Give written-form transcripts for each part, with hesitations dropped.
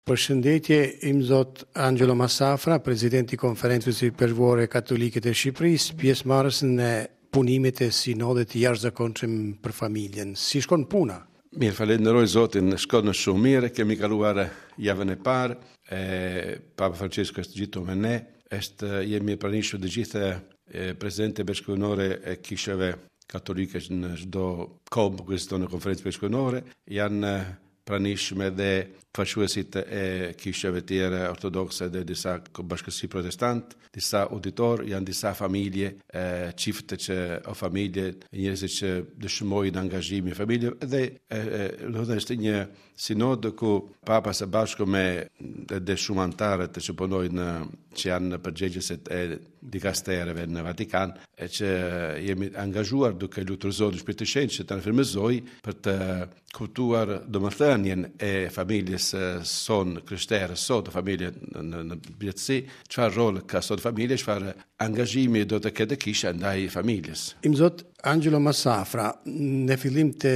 Përshëndetje, Imzot Angelo Massafra, president i Konferencës Ipeshkvore Katolike të Shqipërisë, pjesëmarrës në punimet e Sinodit të Jashtëzakonshëm për Familjen. Si shkon puna? Mirë, falenderoj Zotin, shkon shumë mirë, kemi kaluar javën e parë, e Papa Francesco është gjithë me ne, është jemi pranishëm të gjithë presidentët ipeshkvnore e kishave katolike në çdo komb ku ekziston në konferencë ipeshkvnore, janë pranishëm edhe përfaqësuesit e kishave tjera ortodokse dhe disa bashkësi protestant, disa auditor, janë disa familje, e, çifte që o familje, njerëzit që dëshmojnë angazhimin e familje dhe e, e, do të është një sinod ku papa së bashku me edhe shumë anëtarët që punojnë që janë përgjegjësit e dikastereve në Vatikan, e që jemi angazhuar duke lutur Zotin Shpirtin e Shenjtë që të na frymëzojë për të kuptuar domethënien e familjes sonë krishterë sot, familje në, në, në përgjithësi, çfarë rol ka sot familja, çfarë angazhimi do të ketë kisha ndaj familjes. Imzot Angelo Massafra, në fillim të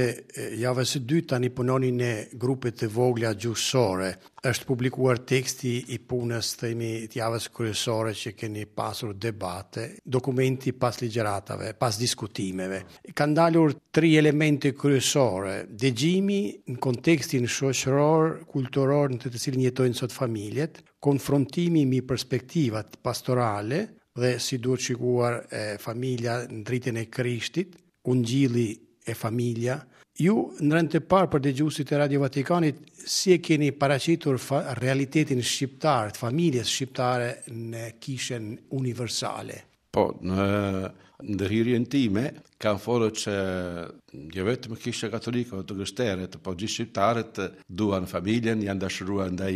javës së dytë tani punoni në grupe të vogla gjuhësore. Është publikuar teksti i punës, themi, të javës kryesore që keni pasur debate, dokumenti pas ligjëratave, pas diskutimeve. Kanë dalur tri elemente kryesore, dëgjimi në kontekstin shoqëror, kulturor në të cilin jetojnë sot familjet, konfrontimi mbi perspektivat pastorale dhe si duhet shikuar e, familja në dritën e Krishtit, Ungjilli e familja. Ju, në rend të parë për dëgjuesit e Radio Vatikanit, si e keni paraqitur realitetin shqiptar, të familjes shqiptare në kishën universale? Po, në ndërhyrjen time, kam folur që jo vetëm kisha katolike, të krishterët, po gjithë shqiptarët duan familjen, janë dashuruar ndaj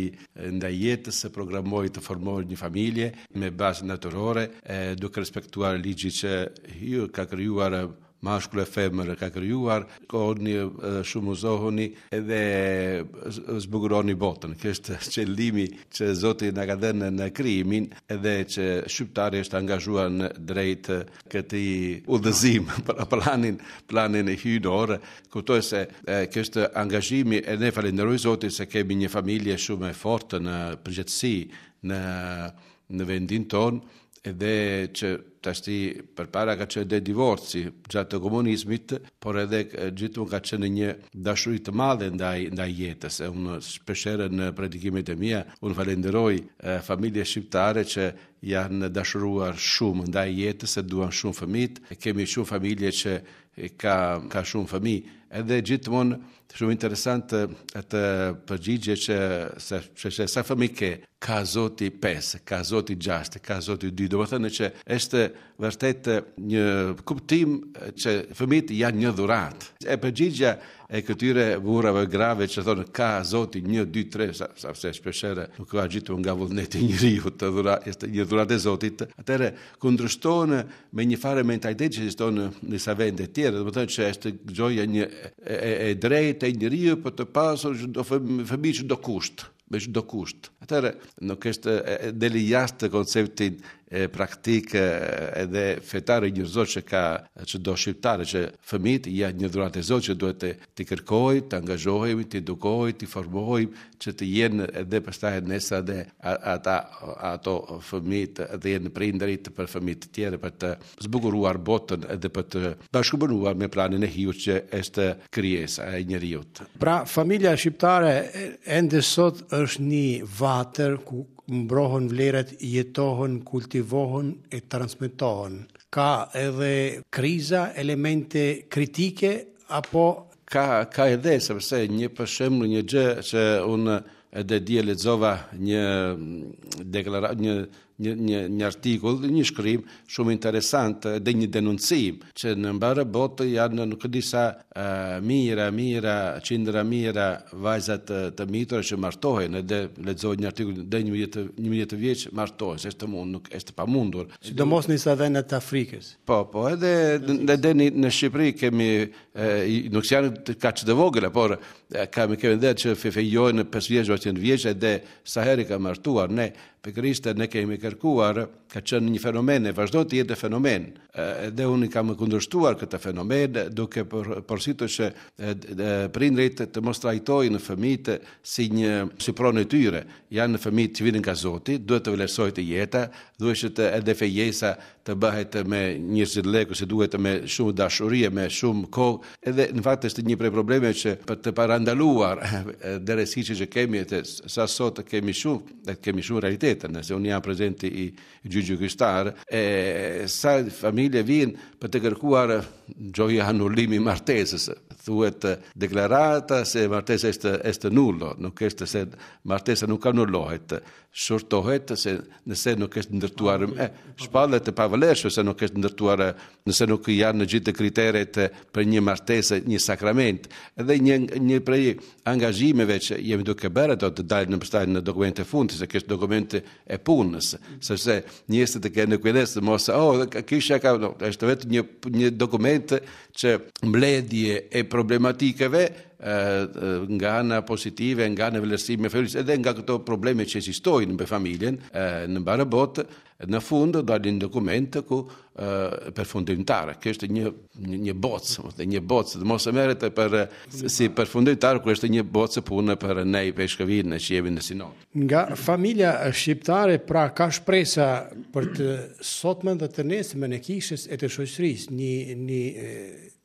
ndaj jetës, se programojnë të formojnë një familje me bazë natyrore, e, duke respektuar ligjin që ju ka krijuar mashkull e femër ka krijuar, korrni, shumëzohuni edhe zbukuroni botën. Kjo është qëllimi që Zoti na ka dhënë në krijimin edhe që shqiptari është angazhuar në drejt këtij udhëzim për planin planin hyjnor. Kuptoj se kjo është angazhimi e ne falenderoj Zotin se kemi një familje shumë e fortë në përgjithësi në në vendin tonë edhe që tashti përpara ka qenë dhe divorci gjatë të komunizmit, por edhe gjithmonë ka qenë një dashuri të madhe ndaj ndaj jetës. E unë shpeshherë në predikimet e mia, unë falenderoj familje shqiptare që janë dashuruar shumë ndaj jetës, e duan shumë fëmijët. Kemi shumë familje që ka ka shumë fëmijë. Edhe gjithmonë shumë interesant atë përgjigje që se se, se sa fëmijë ke, ka Zoti 5, ka Zoti 6, ka Zoti 2, domethënë që është vërtet një kuptim që fëmijët janë një dhuratë. E përgjigja e këtyre burrave grave që thonë ka Zoti 1 2 3 sa sa se shpeshherë nuk ka gjithmonë nga vullneti i njeriut të dhura është një dhuratë e Zotit, atëherë kundërshton me një farë mentalitet që ekziston në disa vende të tjera, domethënë që është gjoja një e, e, e drejtë e njeriut për të pasur çdo fëmijë çdo kusht me çdo kusht. Atëherë nuk është deli jashtë konceptin e praktik edhe fetare njerëzor që ka çdo shqiptare që fëmijët janë një dhuratë e Zotit që duhet të t'i kërkojë, të angazhohemi, t'i edukojë, t'i formojmë që të jenë edhe pastaj nesër edhe ata ato fëmijët të jenë prindërit për fëmijët të tjerë për të zbukuruar botën edhe për të bashkëpunuar me planin e Hyjit që është krijesa e njeriut. Pra, familja shqiptare ende sot është një vatër ku mbrohen vlerat, jetohen, kultivohen e transmetohen. Ka edhe kriza, elemente kritike apo ka ka edhe sepse një për shembull një gjë që unë edhe dje lexova një deklaratë një një një një artikull, një shkrim shumë interesant dhe një denoncim që në mbarë botë janë nuk e di sa uh, mijëra, mijëra, qindra mijëra vajza të, të mitura që martohen edhe lexoj një artikull dhe 11 11 vjeç martohen, se është mund, nuk është pamundur. Sidomos në disa vende të Afrikës. Po, po, edhe edhe në, në Shqipëri kemi e, nuk janë kaq të vogla, por kemi kemi edhe që fejojnë 5 vjeç ose 9 vjeç edhe sa herë ka martuar ne. Pikërisht ne kemi kërkuar, ka qenë një fenomen e vazhdon të jetë fenomen. Edhe unë kam kundërshtuar këtë fenomen duke porositur që prindërit të mos trajtojnë fëmijët si një si pronë e tyre. Janë fëmijët që vijnë nga Zoti, duhet të vlerësohet jeta, duhet që të edhe fejesa të bëhet me njerëzillëk ose duhet me shumë dashuri e me shumë kohë. Edhe në fakt është një prej problemeve që për të parandaluar deresiqe që kemi të sa sot kemi shumë, dhe kemi shumë realitete, nëse unë jam prezidenti i gjyqit kishtar, e sa familje vijnë për të kërkuar gjoja anullimi i martesës. Thuhet deklarata se martesa është është nullo, nuk është se martesa nuk anullohet, shortohet se nëse nuk është ndërtuar e shpallet e pavlefshme se nuk është ndërtuar nëse nuk janë në gjithë kriteret për një martesë, një sakrament. Edhe një një prej angazhimeve që jemi duke bërë do të dalë në pastaj në dokumente fundit, se është dokumente e punës, sepse njerëzit të kenë kujdes të mos oh kisha ka no, është vetëm një një dokument që mbledhje e problematikave nga ana pozitive, nga ana vlerësimi e familjes, edhe nga këto probleme që ekzistojnë në familjen në mbarë botë, në fund dalin dokumente ku përfundimtar. Kjo është një një, një bocë, ose një bocë, dhe mos e merret për si përfundimtar kur është një bocë punë për ne ipeshkëvinë që jemi në sinod. Nga familja shqiptare pra ka shpresa për të sotmen dhe të nesërmen e kishës e të shoqërisë, një një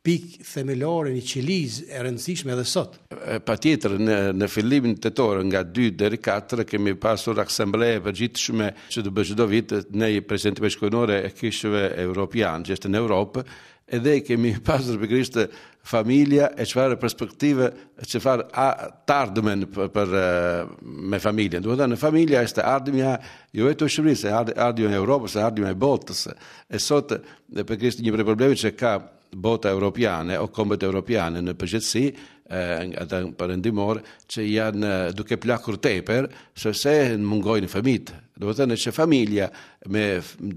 pikë themelore, një qelizë e rëndësishme edhe sot. Patjetër, në, në fillimin tetor, nga 2 deri 4, kemi pasur asamble e përgjithshme që të bëhet çdo vit ne presidenti ipeshkëvinore e kishëve europian, që është në Europë, edhe kemi pasur pikërisht familja e çfarë perspektive, çfarë të ardhmen për, për me familjen. Domethënë, familja është ardhmja jo vetëm e Shqipërisë, e ardhmja e Europës, e ardhmja e botës. E sot, dhe pikërisht një prej problemeve që ka bota europiane o kombet europiane në përgjithësi, ata perëndimor që janë duke plakur tepër, sepse mungojnë fëmijët. Domethënë që familja me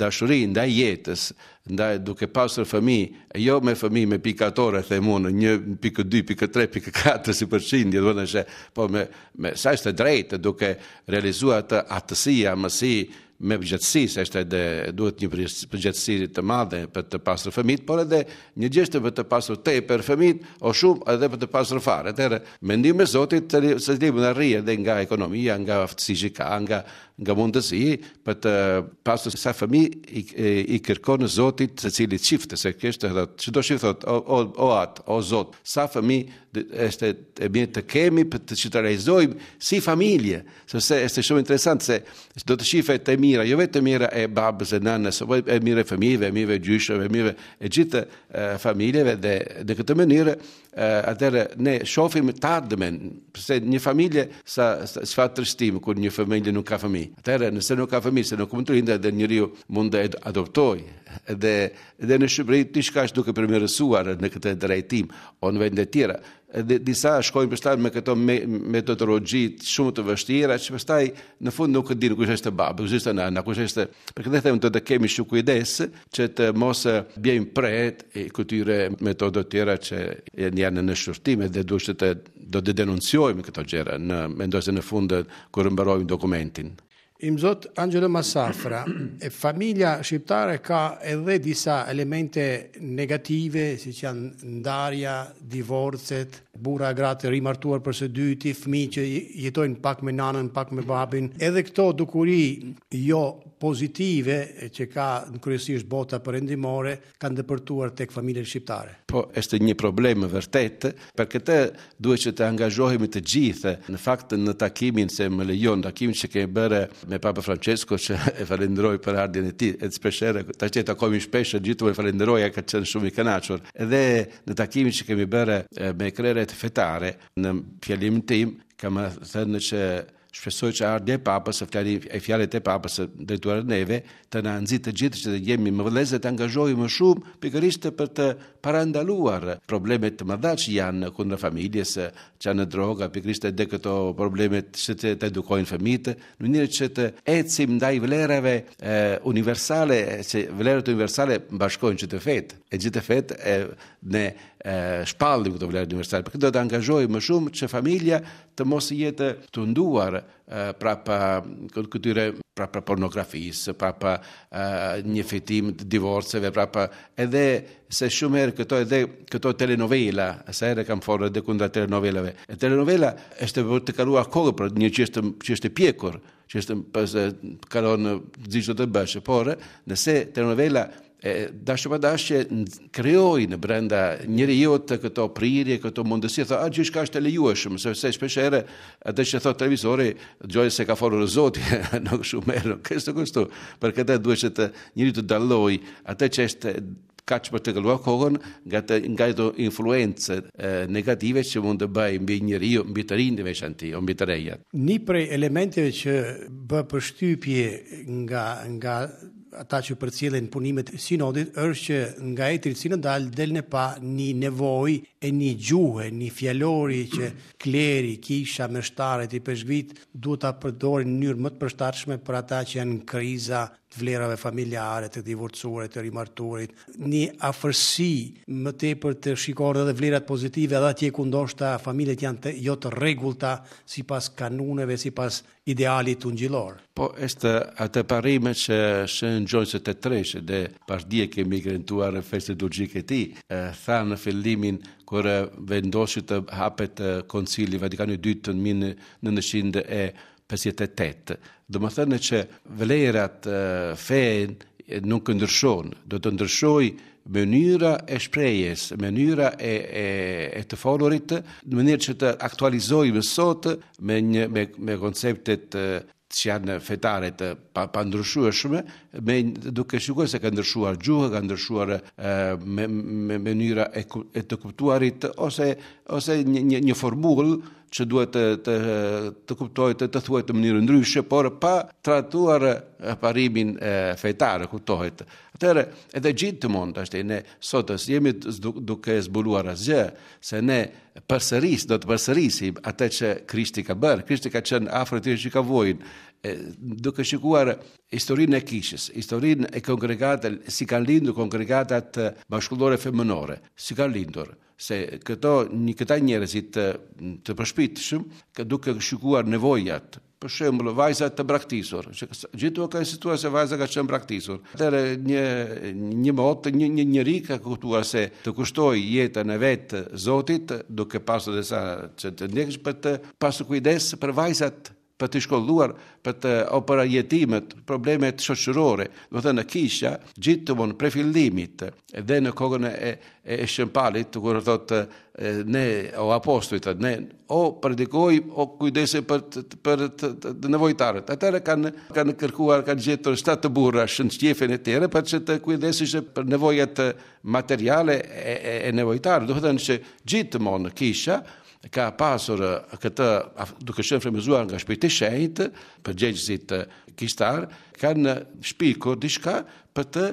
dashuri ndaj jetës, ndaj duke pasur fëmijë, jo me fëmijë me pikatore, them unë, 1.2, 1.3, 1.4 si përqindje, domethënë që po me me sa është e drejtë duke realizuar atë atësi, amësi, me përgjegjësi, se është edhe duhet një përgjegjësi të madhe për të pasur fëmijët, por edhe një gjë është për të pasur tepër fëmijët, o shumë edhe për të pasur fare. Atëherë, me ndihmën e Zotit, secili mund të arrijë edhe nga ekonomia, nga aftësi që ka, nga nga mundësi për të pasur sa fëmijë i, i, i kërkon Zotit secili çift, se kjo është edhe çdo çift thotë o, o, o at, o Zot, sa fëmijë është e mirë të kemi për të që të realizojmë si familje, sepse është shumë interesant se do të shifet e mira, jo vetëm e mira e babës e nënës, por e mira e fëmijëve, e mira e gjyshëve, e mira e gjithë familjeve dhe në këtë mënyrë atëherë ne shohim të ardhmen, pse një familje sa çfarë trishtim kur një familje nuk ka fëmijë. Atëherë nëse nuk ka fëmijë, se nuk mund të lindë edhe njeriu mund të adoptojë. Edhe edhe në Shqipëri diçka është duke përmirësuar në këtë drejtim, o në vende të tjera. Edhe disa shkojnë pastaj me këto me, metodologji shumë të vështira që pastaj në fund nuk e dinë kush është baba, kush është nëna, kush është. Për këtë them do të kemi shumë kujdes që të mos bjejmë pre e këtyre metodave të tjera që janë në shqyrtim dhe duhet të do të denoncojmë këto gjëra në mendoj se në fund kur mbarojmë dokumentin. Imzot Angelo Massafra, e familja shqiptare ka edhe disa elemente negative, siç janë ndarja, divorcet, burra e gra të rimartuar për së dyti, fëmijë që jetojnë pak me nanën, pak me babin. Edhe këto dukuri jo pozitive që ka në kryesisht bota perëndimore, kanë depërtuar tek familjet shqiptare. Po, është një problem vërtet. Për këtë duhet që të angazhohemi të gjithë. Në fakt në takimin se më lejon, takimin që kemi bërë me Papa Francesco që e falenderoj për ardhjen e tij, edhe shpesh herë, tash takohemi shpesh, gjithmonë e falenderoj, ai ka qenë shumë i kënaqur. Edhe në takimin që kemi bërë me krerët fetare, në fjalimin tim kam thënë që Shpresoj që ardhja e Papës, e fjali, e fjalët e Papës drejtuar neve, të na nxitë të gjithë që të jemi më vëllezër të angazhohemi më shumë pikërisht për të parandaluar problemet të mëdha që janë kundër familjes, që janë droga, pikërisht edhe këto problemet që të, të edukojnë fëmijët, në mënyrë që të ecim ndaj vlerave e, universale, që vlerat universale bashkojnë që të fetë, e gjithë fetë e, ne e, shpallim këto vlera universale. Për këtë do të angazhohemi më shumë që familja të mos jetë tunduar prapa këtyre Prapa pornografisë, prapa uh, një fitim të divorceve, prapa edhe se shumë herë këto edhe këto telenovela, sa herë kam folur edhe kundra telenovelave. E telenovela është për të kaluar kohë për një që është që është e pjekur, që është pas kalon gjithçka do të bësh, por nëse telenovela e dashje pa dashje krijojnë brenda njeriut të këto prirje, këto mundësi, thotë, a gjithçka është e lejueshme, sepse shpesh herë atë që thotë televizori, gjoja se ka folur Zoti, nuk shumë herë, nuk është kështu. Për këtë duhet që të njeriu të dallojë atë që është kaq për të kaluar kohën nga të nga ato influencë negative që mund të bëjë mbi njeriu, mbi të rinjtë në veçanti, o mbi të rejat. Një prej elementeve që bë përshtypje nga nga ata që përcjellin punimet e sinodit është që nga etërit sinodal del në pah një nevojë e një gjuhe, një fjalori që kleri, kisha, meshtarët, ipeshkvijtë duhet ta përdorin në mënyrë më të përshtatshme për ata që janë në kriza të vlerave familjare, të divorcuarit, të rimartuarit, një afërsi më tepër të shikohen edhe vlerat pozitive edhe atje ku ndoshta familjet janë të, jo të rregullta sipas kanuneve, sipas idealit ungjillor. Po, është atë parime që Shën Gjon 23 dhe pasdje kemi kremtuar festën liturgjike e tij, tha në fillimin kur vendosi të hapet Koncili Vatikani i Dytë në 1958. Domethënë që vlerat fenë nuk ndryshon, do të ndryshojë mënyra e shprehjes, mënyra e, e, e të folurit, në mënyrë që të aktualizojmë sot me një me me konceptet që janë fetare të pa, pandryshueshme, me duke shikuar se ka ndryshuar gjuha, ka ndryshuar me, me mënyra e, e të kuptuarit ose ose një një, një formulë që duhet të të të kuptohet të, të thuhet në mënyrë ndryshe, por pa tradhtuar parimin e, fetar, kuptohet. Atëherë, edhe gjithmonë tash ne sot s'jemi duke zbuluar asgjë, se ne përsëris, do të përsërisim atë që Krishti ka bërë. Krishti ka qenë afër atyre që ka vojnë, duke shikuar historinë e kishës, historinë e kongregatës, si kanë lindur kongregatat mashkullore femënore, si kanë lindur se këto një këta njerëzit të, të përshpirtshëm, duke shikuar nevojat Për shembull, vajza të braktisur, që gjithmonë ka insistuar se vajza ka qenë braktisur. Atëherë një një mot, një një njeri ka kuptuar se të kushtojë jetën e vet Zotit, duke pasur disa që të ndjekësh për të pasur kujdes për vajzat për të shkolluar, për të o për jetimët, problemet shoqërore. Domethënë kisha gjithmonë prej fillimit dhe në kohën e e Shën Palit, kur thotë ne o apostujt, ne o predikojmë, o kujdesemi për të, për të, të, të nevojtarët. Atëherë kanë kanë kërkuar, kanë gjetur shtatë burra Shën Shtjefën e tjerë për që të kujdeseshin për nevojat materiale e, e, e nevojtarëve. Domethënë që gjithmonë kisha ka pasur këtë duke qenë frymëzuar nga Shpirti i Shenjtë, përgjegjësit kishtar kanë shpikur diçka për të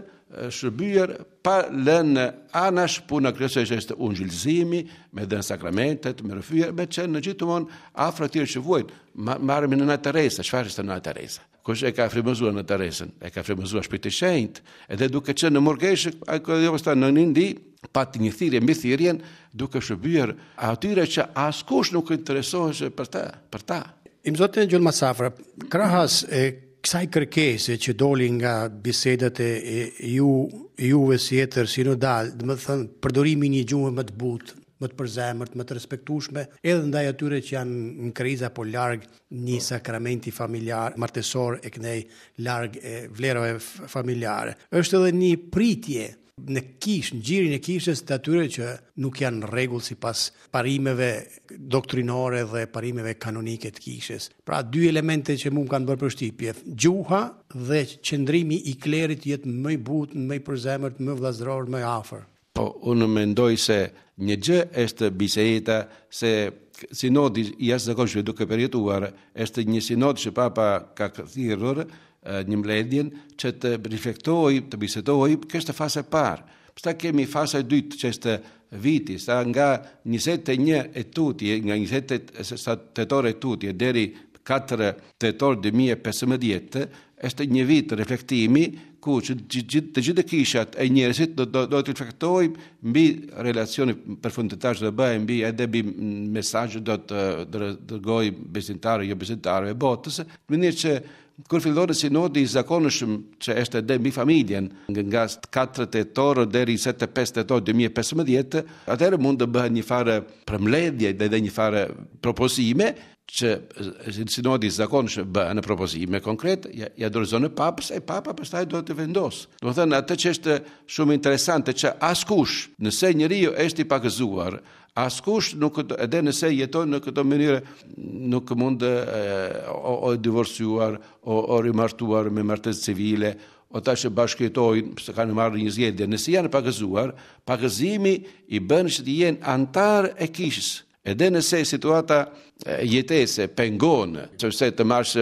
shërbyer pa lënë anash puna kryesore që është ungjillëzimi, me dhënë sakramentet, me rrëfyer, me qenë në gjithmonë afër atyre që vuajnë. Marrim Nëna Teresa, çfarë është Nëna Teresa? Kush e ka frymëzuar Nëna Teresën? E ka frymëzuar Shpirti i Shenjtë, edhe duke qenë në murgeshë, ai ka jo pastaj në Indi, pati një thirrje mbi thirrjen, duke shërbyer atyre që askush nuk interesohej për ta, për ta. Imzot Engjëll Massafra, krahas e kësaj kërkese që doli nga bisedat e, e ju juve si etër sinodal, domethënë përdorimi i një gjuhe më të butë, më të përzemërt, më të respektueshme, edhe ndaj atyre që janë në krizë apo larg një po. sakramenti familjar, martesor e këndej larg e vlerave familjare. Është edhe një pritje në kishë, në gjirin e kishës të atyre që nuk janë në rregull sipas parimeve doktrinore dhe parimeve kanonike të kishës. Pra dy elemente që mua më kanë bërë përshtypje, gjuha dhe qëndrimi i klerit të jetë më i butë, më i përzemërt, më vëllazëror, më i afër. Po, unë mendoj se një gjë është biseda se sinodi i jashtëzakonshëm duke përjetuar është një sinod që papa ka thirrur një mbledhjen që të reflektojë, të bisedojë, kjo është faza e parë. Pastaj kemi faza e dytë që është viti, sa nga 21 e tutje, nga 20 tetor e tutje deri 4 tetor 2015, është një vit reflektimi ku që të gjithë kishat e njerëzit do do, do të reflektojnë mbi relacionin përfundimtar që do bëjë mbi edhe mbi mesazhin do të dërgojë besimtarëve jo besimtarëve botës, në mënyrë që. Kur fillon sinodi i zakonshëm që është edhe mbi familjen, nga 4 tetor deri 25 tetor 2015, atëherë mund të bëhet një farë përmbledhje dhe një farë propozime që sinodi i zakonshëm bën propozime konkrete, ja, ja dorëzon në papës e papa pastaj do të vendosë. Domethënë atë që është shumë interesante që askush, nëse njeriu është i pagëzuar, Askush nuk edhe nëse jeton në këtë mënyrë nuk mund o, o divorcuar o, o rimartuar me martesë civile o ata që bashkëjetojnë, pse kanë marrë një zgjedhje, nëse janë pagëzuar, pagëzimi i bën që të jenë anëtar e kishës. Edhe nëse situata jetese pengon, sepse të marrësh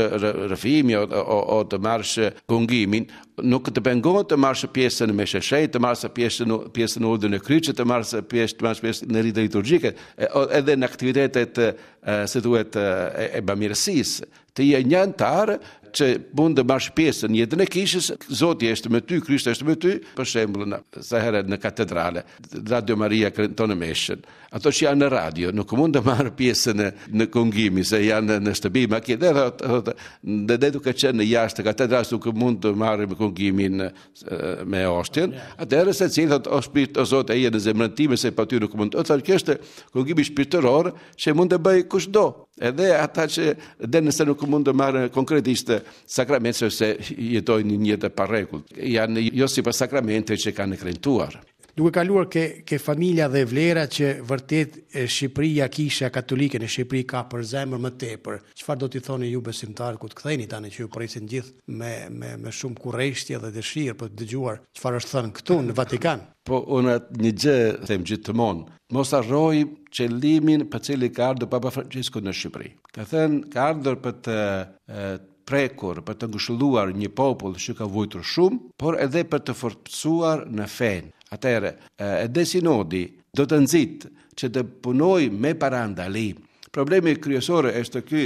rrëfimi o, o, o të marrësh kungimin, nuk të pengon të marrësh pjesë në meshë shenjtë, të marrësh pjesë në pjesë në urdhrin e kryqit, të marrësh pjesë të marrësh pjesë në rite liturgjike, edhe në aktivitetet si thuhet e, e bamirësisë. Të je një anëtar që mund të marrësh pjesë në jetën e kishës, Zoti është me ty, Krishti është me ty, për shembull, në, sa herë në katedrale, Radio Maria këndon në meshën. Ato që janë në radio nuk mund të marrë pjesë në në kungimi se janë në shtëpi, makinë, dhe thotë, thotë, dhe dhe duke qenë jashtë katedrales nuk mund të marrim kungimin me oshtjen. Atëherë secili thotë, o shpirt, o Zot, eja në zemrën time se pa ty nuk mund. O thotë, kjo është kungimi shpirtëror që mund të bëjë kushdo. Edhe ata që dhe nëse nuk mund të marrë konkretisht sakrament sepse jetojnë një jetë pa rregull. Janë jo sipas sakramenteve që kanë kremtuar. Duke kaluar ke ke familja dhe vlera që vërtet Shqipëria, Kisha Katolike në Shqipëri ka për zemër më tepër. Çfarë do t'i thoni ju besimtarët kur të ktheheni tani që ju presin gjithë me me me shumë kureshtje dhe dëshirë për të dëgjuar çfarë është thënë këtu në Vatikan? Po unë një gjë them gjithmonë, mos harrojmë qëllimin për cilin ka ardhur Papa Francesku në Shqipëri. Ka thënë ka ardhur për të prekur, për të ngushëlluar një popull që ka vuajtur shumë, por edhe për të forcuar në fenë. Atëherë, edhe sinodi do të nxitë që të punojë me parandalim. Problemi kryesor është ky,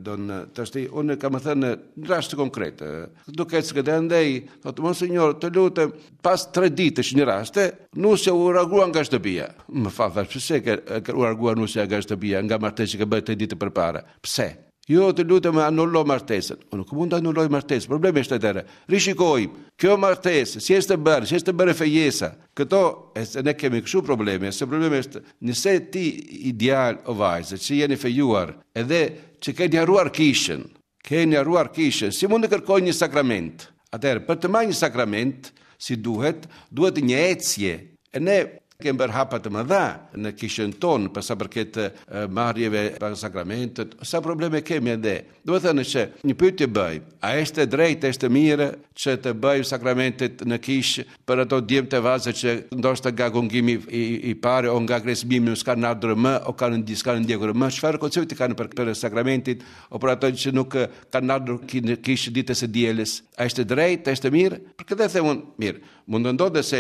don tashti unë kam thënë në rast konkret, duke ecë këtë andej, thotë monsinjor, të lutem, pas tre ditësh një raste, nusja u largua nga shtëpia. Më fal, thash, pse ke u largua nusja nga shtëpia, nga martesa që ke bërë tre ditë përpara? Pse? Jo, të lutem, anulo martesën. Unë nuk mund të anuloj martesën. Problemi është atëherë. Rishikojmë. Kjo martesë, si është bërë, si është bërë fejesa. Këto, e se ne kemi kështu probleme, se problemi është nëse ti i djalë o vajzë që jeni fejuar, edhe që keni harruar kishën, keni harruar kishën, si mund të kërkojë një sakrament? Atëherë, për të marrë një sakrament, si duhet, duhet një ecje. E ne kemi bërë hapa të mëdha në kishën tonë për sa përket marrjeve për sakramentet, sa probleme kemi edhe. Domethënë që një pyetje bëj, a është e drejtë, është mirë që të bëjmë sakramentet në kishë për ato djemtë e vajzat që ndoshta nga kungimi i, i parë o nga kresmimi s'kanë ardhur më o kanë s'kanë ndjekur më, çfarë koncepti kanë për, për sakramentit o për ato që nuk kanë ardhur në kishë ditës së dielës. A është e drejtë, është e mirë? Për këtë them unë, mirë. Mund të ndodhë se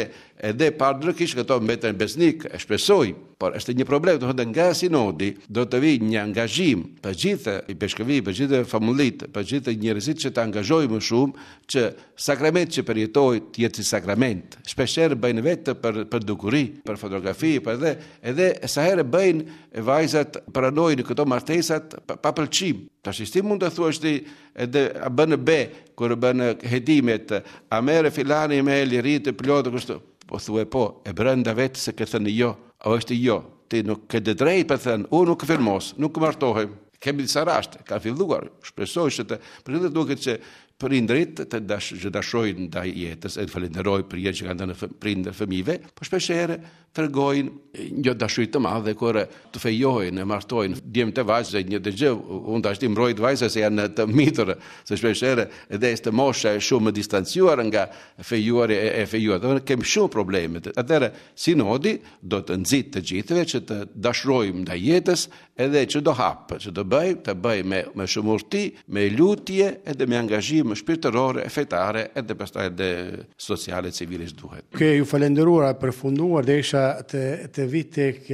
edhe pa ardhur në kishë këto mbeten besnik, e shpresoj, por është një problem, do të thotë nga sinodi do të vijë një angazhim për gjithë ipeshkëvi, për gjithë famullit, për gjithë njerëzit që të angazhojë më shumë që sakrament që përjetoj të jetë si sakrament. Shpeshherë bëjnë vetë për për dukuri, për fotografi, për edhe edhe sa herë bëjnë vajzat pranojnë këto martesat pa, pa pëlqim. Tash si mund të thuash ti edhe a bën be kur bën hetimet, a merr filani me liri të plotë kështu. Po thue po, e brenda vetë se ke thënë jo, a është jo. Ti nuk ke të drejtë për thënë, unë nuk firmos, nuk martohem. Kemi disa raste, ka filluar, shpresoj që të, për këtë duket që prindërit të dash, që dashojnë ndaj jetës, e të falenderoj për jetën që kanë dhënë prindër fëmijëve, po shpesh herë tregojnë një dashuri të madhe kur të fejojnë e martojnë djemtë e vajzat një të gjë, unë tash ti mbroj vajzat se janë të mitur, se shpesh herë edhe është mosha e shumë distanciuar nga fejuari e, e fejuar. Do kemi shumë probleme. Atëherë sinodi do të nxitë të gjithëve që të dashurojmë ndaj jetës edhe që do hap, që do bëj, të bëj me me shumë urti, me lutje edhe me angazhim shpirtëror e fetare edhe pastaj edhe sociale civile që duhet. Duke ju falënderuar e përfunduar desha të të vi tek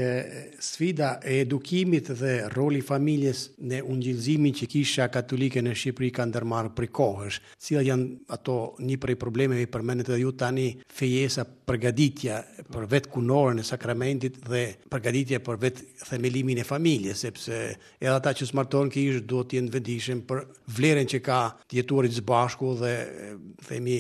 sfida e edukimit dhe roli i familjes në ungjillëzimin që Kisha Katolike në Shqipëri ka ndërmarrë prej kohësh. Cilat janë ato një prej problemeve i përmendët edhe ju tani fejesa përgatitja për vetë kunorën e sakramentit dhe përgatitja për vetë themelimin e familjes, sepse edhe ata që që s'martohen në kishë duhet të jenë të vetëdijshëm për vlerën që ka të jetuarit së bashku dhe themi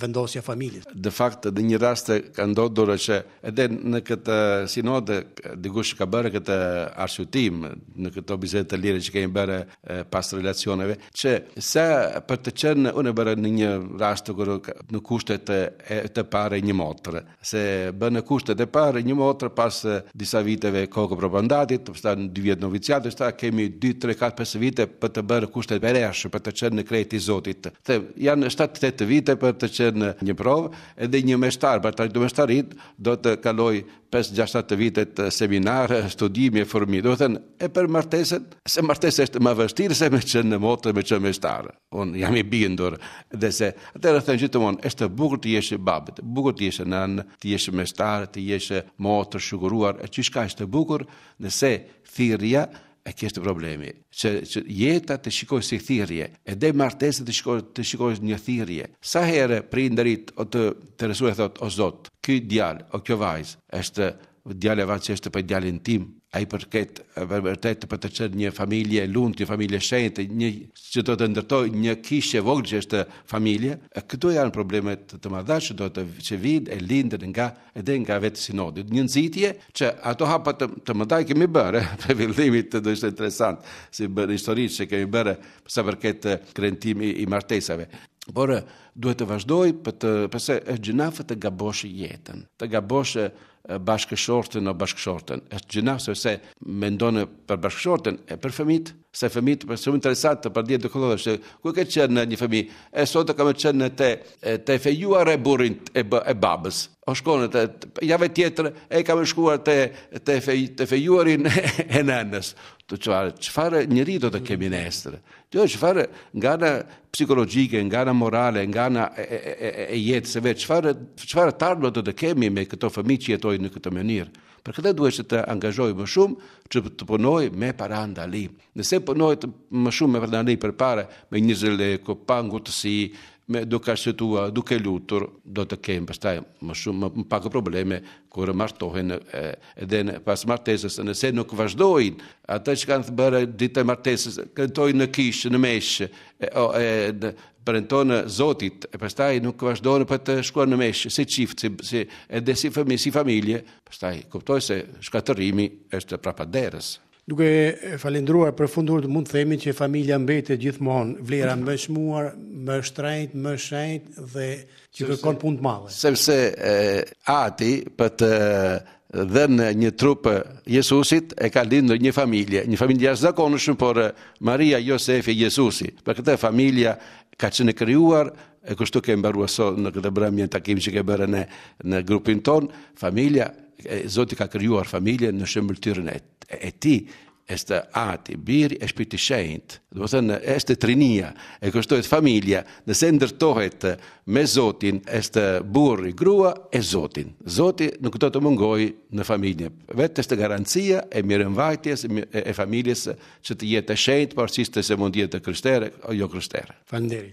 vendosja e familjes. Në fakt në një rast ka ndodhur që edhe në këtë sinod dikush ka bërë këtë arsyetim në këto biseda të lira që kemi bërë pas relacioneve që sa për të qenë unë bërë në një rast kur në kushtet e të parë një motër se bën në kushtet e parë një motër pas disa viteve kohë probandatit, pastaj në dy vjet noviciat, pastaj kemi 2 3 4 5 vite për të bërë kushtet e reja, për të qenë në krejt i Zotit. The janë 7 8 vite për të qenë një provë, edhe një meshtar për të arritur meshtarit do të kaloj 5 6 7 vite të seminar, studimi e formimi. Do të thënë, e për martesën, se martesa është më vështirë se me qenë në motër, me qenë meshtar. Unë jam i bindur dhe se atëherë them gjithmonë, është e bukur të jesh babë, e bukur të jesh nënë, të jesh meshtar, të jesh motër shuguruar, e gjithçka është e bukur, nëse thirrja e kishte problemi, që, që jeta të shikoj si thirrje, edhe martesa të shikoj të shikoj një thirrje. Sa herë prindërit o të interesuar thot o Zot, ky djalë o kjo vajzë është djalë e vajzë që është për djalin tim, ai përket vërtet për të qenë një familje e lumtur, një familje e shenjtë, një që do të ndërtojë një kishë e vogël që është familje. E këto janë probleme të, të mëdha që do të që vijnë e lindën nga edhe nga vetë sinodi. Një nxitje që ato hapa të, të mëdha i kemi bërë, për fillimit të do ishte interesant si bërë histori që kemi bërë sa përket kremtimi i martesave. Por duhet të vazhdoj për të përse është gjynah të gabosh jetën, të gabosh bashkëshortën o bashkëshortën. Është gjynah sepse mendon për bashkëshortën e për fëmijët, se fëmijët për shumë interesant të pardje të kollë se ku ke qenë në një fëmijë, e sot kam qenë në te te fejuar e burrin e, e babës. O shkon te javë tjetër e kam shkuar te te fej, te fejuarin e nënës. Të çfarë çfarë njeri do të kemi nesër? Jo, çfarë nga ana psikologjike, nga ana morale, nga ana e, e, e, e jetës së vet, çfarë çfarë të ardhme do të kemi me këto fëmijë që jetojnë në këtë mënyrë? Për këtë duhet që të angazhoj më shumë që të punoj me parandalim. Nëse punohet më shumë me parandalim përpara, me një zëleko, pa ngutësi, me duke arsyetuar, duke lutur, do të kemi pastaj më shumë më, më pak probleme kur martohen edhe në, pas martesës, nëse nuk vazhdojnë atë që kanë bërë ditën e martesës, këntojnë në kishë, në meshë, e, o, e, në, premtojnë Zotit, e pastaj nuk vazhdojnë për të shkuar në meshë, si çift, si, si, edhe si fëmijë, si familje, pastaj kuptoj se shkatërrimi është prapa derës. Duke falendruar për fundur, mund të themi që familja mbetet gjithmonë vlera më e çmuar, më e shtrenjtë, më e shenjtë dhe që kërkon punë të madhe. Sepse e, ati për të dhënë një trup Jezusit e ka lindur një familje, një familje jashtëzakonshme, por Maria, Josefi, Jezusi. Për këtë familja ka qenë krijuar e kështu ke mbaruar sot në këtë mbrëmje takim që ke bërë në në grupin ton, familja Zoti ka krijuar familjen në shëmbëlltyrën e e tij është ati, biri e shpirti shenjt. Do të thënë është trinia, e kështu është familja, nëse ndërtohet me Zotin, është burri, grua e Zotin. Zoti nuk do të mungojë në familje. Vetë është garancia e mirëmbajtjes e, e familjes që të jetë e shenjtë, pavarësisht se mund të jetë krishtere o jo krishtere. Faleminderit.